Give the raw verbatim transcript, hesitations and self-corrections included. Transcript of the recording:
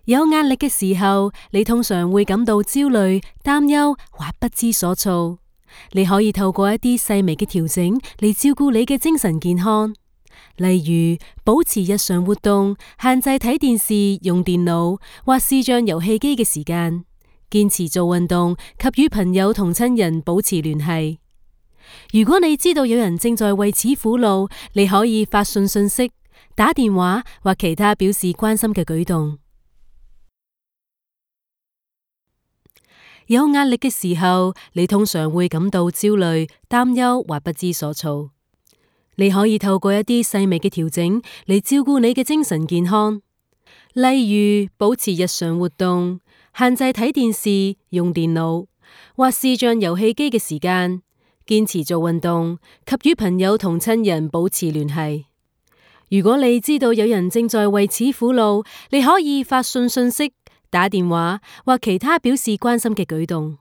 有壓力嘅時候，你通常會感到焦慮、擔憂或不知所措。你可以透過一啲細微嘅調整嚟照顧你嘅精神健康，例如保持日常活動，限制睇電視、用電腦或視像遊戲機嘅時間，堅持做運動及與朋友同親人保持聯繫。如果你知道有人正在為此苦惱，你可以發信信息、打電話或其他表示關心嘅舉動。有壓力嘅時候，你通常會感到焦慮、擔憂或不知所措。你可以透過一啲細微嘅調整嚟照顧你嘅精神健康，例如保持日常活動，限制睇電視、用電腦或視像遊戲機嘅時間，堅持做運動及與朋友同親人保持聯繫。如果你知道有人正在為此苦惱，你可以發信信息、打電話或其他表示關心嘅舉動。